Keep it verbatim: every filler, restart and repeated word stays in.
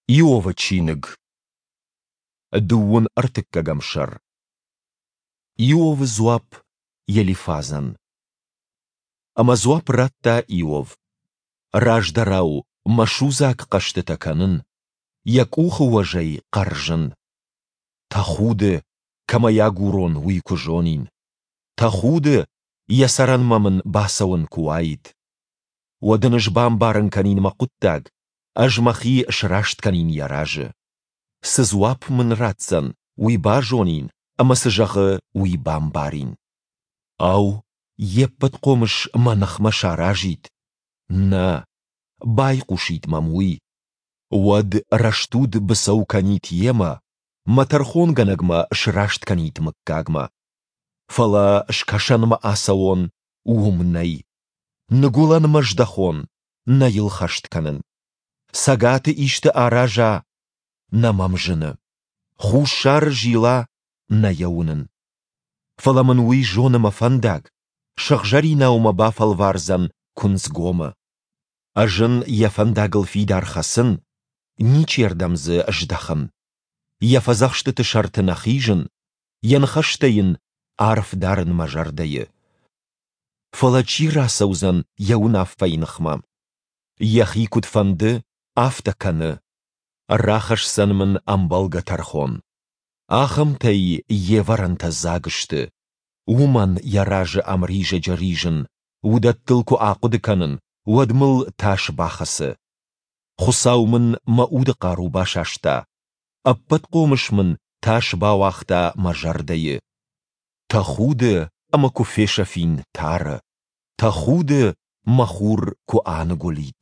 Иовы чиныг, дыууын ӕртыккӕгӕм сӕр. Иовы дзуапп Елифазӕн. Ӕмӕ дзуапп радта Иов: Раздӕрау мӕ судзаг хъӕстытӕ кӕнын, йӕ къухы уӕзӕй хъӕрзын. Тӕхуды, кӕм ӕй агурон, уый куы зонин! Тӕхуды, йӕ цӕрӕнмӕ мын бацӕуӕн куы уаид! Уӕд ын ӕз бамбарын кӕнин мӕ хъуыддаг, ӕз мӕхи сраст кӕнин йӕ разы. Цы дзуапп мын ратдзӕн, уый базонин ӕмӕ цы зӕгъы, уый бамбарин. Ау, йе ппӕт хъомыс мӕ ныхмӕ саразид? Нӕ, байхъусид мӕм уый. Уӕд рӕстуд быцӕу кӕнид йемӕ, мӕ тӕрхонгӕнӕг мӕ сраст кӕнид мыггагмӕ. Фӕлӕ скӕсӕнмӕ ацӕуон, уым нӕй. Ныгуылӕнмӕ здӕхон, нӕ йыл хӕст кӕнын. Цӕгаты исты араза, нӕ мӕм зыны. Хуссары зила, нӕ йӕ уынын. Фӕлӕ мын уый зоны мӕ фӕндаг, сыгъзӕринау мӕ бафӕлвардзӕн куынцгомы. Ӕз ын йӕ фӕндагыл фидар хӕцын, ничердӕм дзы здӕхын. Йӕ фӕдзӕхстыты сӕрты нӕ хизын, йӕ ныхӕстӕ йын арф дарын мӕ зӕрдӕйы. Фӕлӕ чи рацӕудзӕн йӕ уынаффӕйы ныхмӕ? Йӕхи куыд фӕнды, афтӕ кӕны. Рахӕсдзӕн мын ӕмбӕлгӕ тӕрхон. Ахӕмтӕй йе вӕрӕнтӕ дзаг сты. Уымӕн йӕ разы ӕмризӕджы ризын, уыдӕттыл куы ахъуыды кӕнын, уӕд мыл тас бахӕцы. Хуыцау мын мӕ уды хъару басаста, Ӕппӕтхъомыс мын тас бауагъта мӕ зӕрдӕйы. Тӕхуды, ӕмӕ куы фесӕфин тары, тӕхуды, мӕ хур куы аныгуылид.